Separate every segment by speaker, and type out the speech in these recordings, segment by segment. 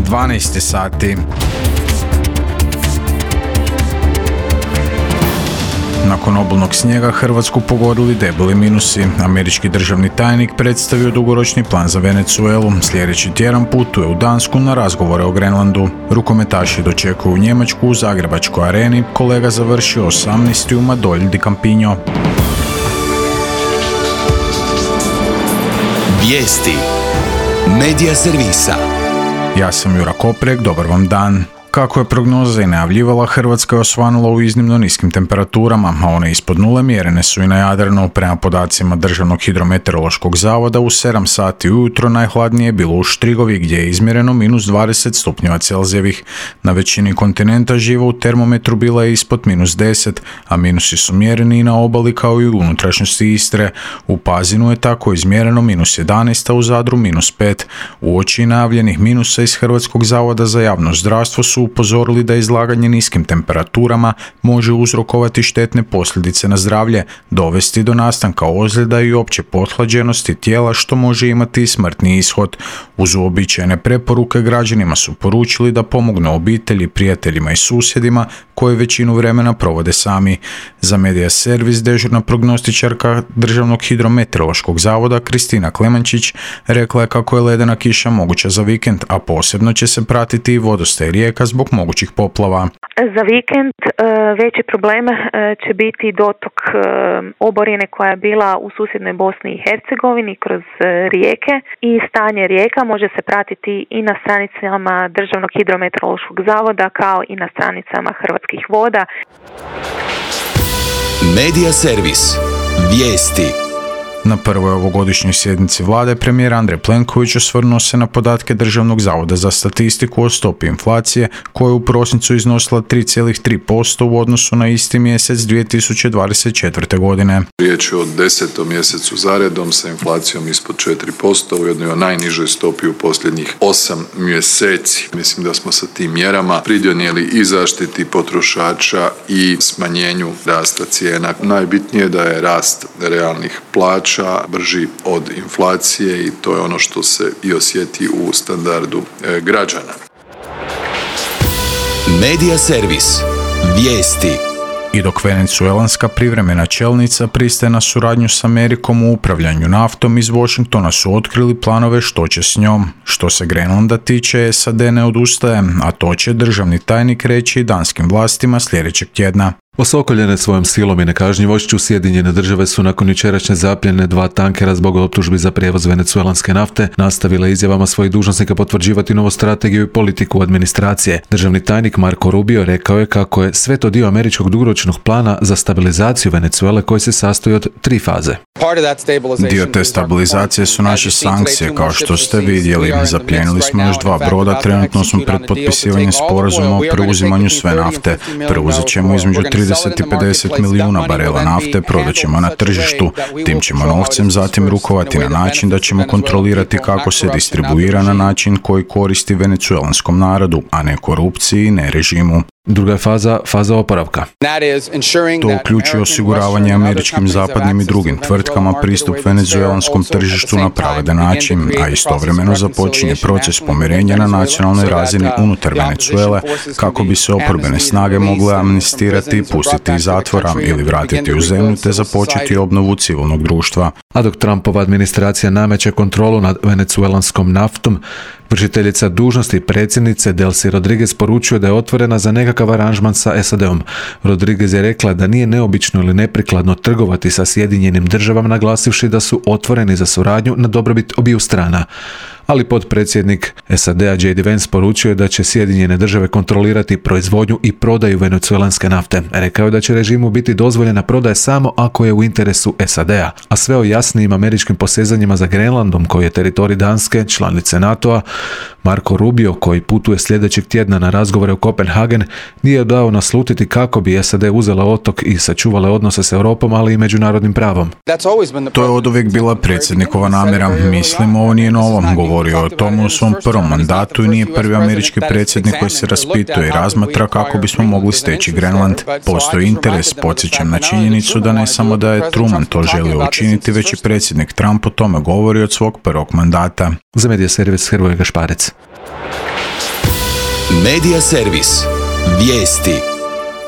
Speaker 1: 12 sati. Nakon obilnog snijega Hrvatsku pogodili debeli minusi. Američki državni tajnik predstavio dugoročni plan za Venezuelu. Sljedeći tjedan putuje u Dansku na razgovore o Grenlandu. Rukometaši dočekuju Njemačku u Zagrebačkoj areni. Kolega završio 18. u Madolj di Campigno.
Speaker 2: Vijesti Medija servisa.
Speaker 1: Ja sam Jura Koprek, dobar vam dan. Kako je prognoza i najavljivala, Hrvatska je osvanula u iznimno niskim temperaturama, a one ispod nule mjerene su i na Jadranu. Prema podacima Državnog hidrometeorološkog zavoda, u 7 sati ujutro najhladnije je bilo u Štrigovi, gdje je izmjereno minus 20 stupnjeva Celzijevih. Na većini kontinenta živa u termometru bila je ispod minus 10, a minusi su mjereni i na obali kao i u unutrašnjosti Istre. U Pazinu je tako izmjereno minus 11, a u Zadru minus 5. Uoči najavljenih minusa iz Hrvatskog zavoda za javno zdravstvo su upozorili da izlaganje niskim temperaturama može uzrokovati štetne posljedice na zdravlje, dovesti do nastanka ozljeda i opće pothlađenosti tijela, što može imati i smrtni ishod. Uz uobičajene preporuke građanima su poručili da pomognu obitelji, prijateljima i susjedima koje većinu vremena provode sami. Za Medija servis dežurna prognostičarka Državnog hidrometeorološkog zavoda Kristina Klemančić rekla je kako je ledena kiša moguća za vikend, a posebno će se pratiti i vodostaj rijeka zbog mogućih poplava.
Speaker 3: Za vikend veći problem će biti dotok oborine koja je bila u susjednoj Bosni i Hercegovini kroz rijeke i stanje rijeka može se pratiti i na stranicama Državnog hidrometeorološkog zavoda kao i na stranicama Hrvatskih voda.
Speaker 2: Medija servis. Vijesti.
Speaker 1: Na prvoj ovogodišnjoj sjednici vlade premijer Andrej Plenković osvrnuo se na podatke Državnog zavoda za statistiku o stopi inflacije, koja je u prosincu iznosila 3,3% u odnosu na isti mjesec 2024. godine.
Speaker 4: Riječ je o 10. mjesecu zaredom sa inflacijom ispod 4%, u jednoj najnižoj stopi u posljednjih 8 mjeseci. Mislim da smo sa tim mjerama pridonijeli i zaštiti potrošača i smanjenju rasta cijena. Najbitnije je da je rast realnih plaća brži od inflacije i to je ono što se i osjeti u standardu građana.
Speaker 2: Medija servis. Vijesti.
Speaker 1: I dok venecuelanska privremena čelnica pristaje na suradnju s Amerikom u upravljanju naftom, iz Washingtona su otkrili planove što će s njom. Što se Grenlanda tiče, SAD ne odustaje, a to će državni tajnik reći i danskim vlastima sljedećeg tjedna.
Speaker 5: Osokoljene svojom silom i nekažnjivošću, Sjedinjene države su nakon jučerašnje zapljene 2 tankera zbog optužbi za prijevoz venecuelanske nafte nastavile izjavama svojih dužnosnika potvrđivati novu strategiju i politiku administracije. Državni tajnik Marco Rubio rekao je kako je sve to dio američkog dugoročnog plana za stabilizaciju Venezuele koji se sastoji od 3 faze.
Speaker 1: Dio te stabilizacije su naše sankcije, kao što ste vidjeli. Zaplijenili smo još 2 broda, trenutno smo pred potpisivanjem sporazuma o preuzimanju sve nafte. Preuzet ćemo između 30 i 50 milijuna barela nafte, prodat ćemo na tržištu. Tim ćemo novcem zatim rukovati na način da ćemo kontrolirati kako se distribuira na način koji koristi venecuelanskom narodu, a ne korupciji, ne režimu.
Speaker 5: Druga je faza oporavka.
Speaker 1: To uključuje osiguravanje američkim, zapadnim i drugim tvrtkama pristup venezuelanskom tržištu na pravedan način, a istovremeno započinje proces pomirenja na nacionalnoj razini unutar Venezuele kako bi se oporbene snage mogle amnestirati i pustiti iz zatvora ili vratiti u zemlju te započeti obnovu civilnog društva.
Speaker 5: A dok Trumpova administracija nameće kontrolu nad venecuelanskom naftom, vršiteljica dužnosti predsjednice Delcy Rodriguez poručuje da je otvorena za nekakav aranžman sa SAD-om. Rodriguez je rekla da nije neobično ili neprikladno trgovati sa Sjedinjenim državama, naglasivši da su otvoreni za suradnju na dobrobit obiju strana. Ali potpredsjednik SAD-a J.D. Vance poručio je da će Sjedinjene države kontrolirati proizvodnju i prodaju venecuelanske nafte. Rekao je da će režimu biti dozvoljena prodaja samo ako je u interesu SAD-a, a sve o jasnijim američkim posezanjima za Grenlandom, koji je teritorij Danske, članice NATO-a, Marco Rubio, koji putuje sljedećeg tjedna na razgovore u Kopenhagen, nije dao naslutiti kako bi SAD uzela otok i sačuvale odnose s Europom, ali i međunarodnim pravom.
Speaker 1: To je oduvijek bila predsjednikova namjera. Mislim, ovo nije novo. Govorio o tomu u svom prvom mandatu i nije prvi američki predsjednik koji se raspituje i razmatra kako bismo mogli steći Grenland. Postoji interes, podsjećam na činjenicu da ne samo da je Truman to želio učiniti, već i predsjednik Trump o tome govori od svog prvog mandata.
Speaker 5: Za Medija servis Hrvoje Gašparec.
Speaker 2: Medija servis. Vijesti.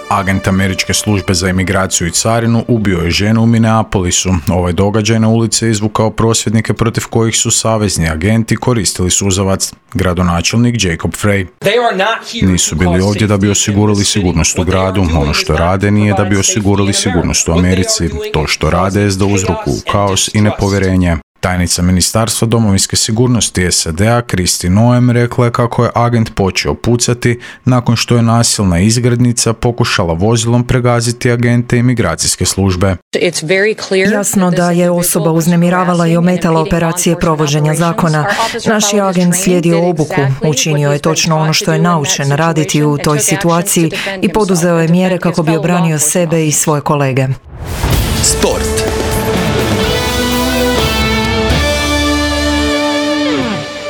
Speaker 1: Agent američke službe za imigraciju i carinu ubio je ženu u Minneapolisu. Ovaj događaj na ulici je izvukao prosvjednike protiv kojih su savezni agenti koristili suzavac. Gradonačelnik Jacob Frey. Nisu bili ovdje da bi osigurali sigurnost u gradu. Ono što rade nije da bi osigurali sigurnost u Americi. To što rade je da uzrokuju kaos i nepovjerenje. Tajnica Ministarstva domovinske sigurnosti SAD-a Kristi Noem rekla je kako je agent počeo pucati nakon što je nasilna izgrednica pokušala vozilom pregaziti agente imigracijske službe.
Speaker 6: Jasno da je osoba uznemiravala i ometala operacije provođenja zakona. Naš je agent slijedio obuku, učinio je točno ono što je naučen raditi u toj situaciji i poduzeo je mjere kako bi obranio sebe i svoje kolege.
Speaker 2: Sport.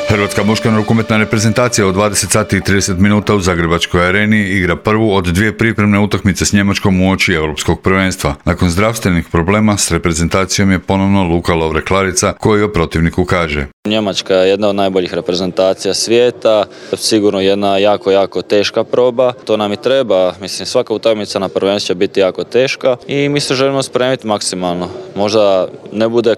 Speaker 7: Hrvatska muška rukometna reprezentacija od 20 sati i 30 minuta u Zagrebačkoj areni igra prvu od dvije pripremne utakmice s Njemačkom uoči Europskog prvenstva. Nakon zdravstvenih problema s reprezentacijom je ponovno Luka Lovre-Klarica koji o protivniku kaže:
Speaker 8: Njemačka je jedna od najboljih reprezentacija svijeta, sigurno jedna jako teška proba. To nam i treba, mislim svaka utakmica na prvenstvu će biti jako teška i mi se želimo spremiti maksimalno. Možda ne bude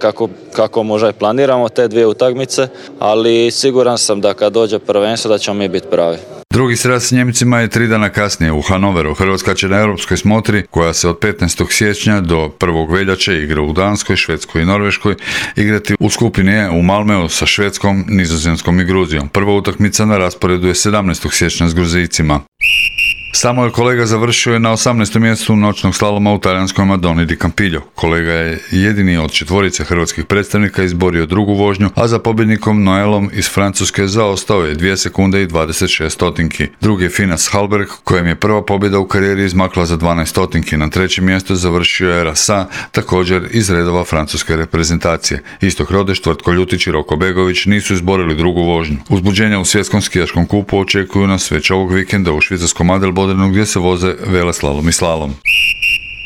Speaker 8: kako možda i planiramo te dvije utakmice, ali siguran sam da kad dođe prvenstvo da ćemo mi biti pravi.
Speaker 7: Drugi sraz s Njemcima je 3 dana kasnije u Hanoveru. Hrvatska će na europskoj smotri, koja se od 15. siječnja do 1. veljače igra u Danskoj, Švedskoj i Norveškoj, igrati u skupini E u Malmeu sa Švedskom, Nizozemskom i Gruzijom. Prva utakmica na rasporedu je 17. siječnja s Gruzijcima. Samuel Kolega završio je na 18. mjestu noćnog slaloma u talijanskoj Madoni di Campiglio. Kolega je jedini od 4 hrvatskih predstavnika izborio drugu vožnju, a za pobjednikom Noelom iz Francuske zaostao je 2 sekunde i 26 stotinki. Drugi je Finas Halberg, kojem je prva pobjeda u karijeri izmakla za 12 stotinki. Na 3. mjestu završio je Rasa, također iz redova francuske reprezentacije. Istok Rodeš, Tvrtko Ljutić i Roko Begović nisu izborili drugu vožnju. Uzbuđenja u svjetskom skijaškom kupu očekuju nas već ovog vikenda u švicarskom Adelbodenu gdje se voze veleslalom i slalom.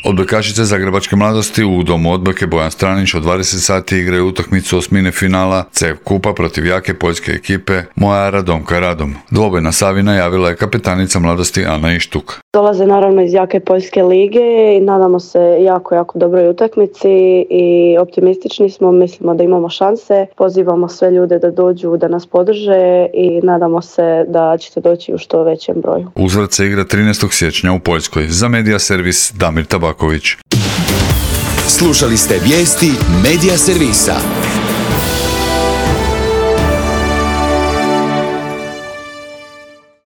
Speaker 7: Odbojkašice Zagrebačke mladosti u domu odbojke Bojan Stranić od 20 sati igraju utakmicu osmine finala CEF kupa protiv jake poljske ekipe Moja Radomka Radom. Dvoboj na Savi najavila je kapetanica mladosti Ana Ištuk.
Speaker 9: Dolaze naravno iz jake poljske lige i nadamo se jako dobroj utakmici i optimistični smo, mislimo da imamo šanse. Pozivamo sve ljude da dođu, da nas podrže i nadamo se da ćete doći u što većem broju.
Speaker 7: Uzvrat se igra 13. siječnja u Poljskoj. Za Medija servis Damir Tabaković.
Speaker 2: Slušali ste vijesti Medija servisa.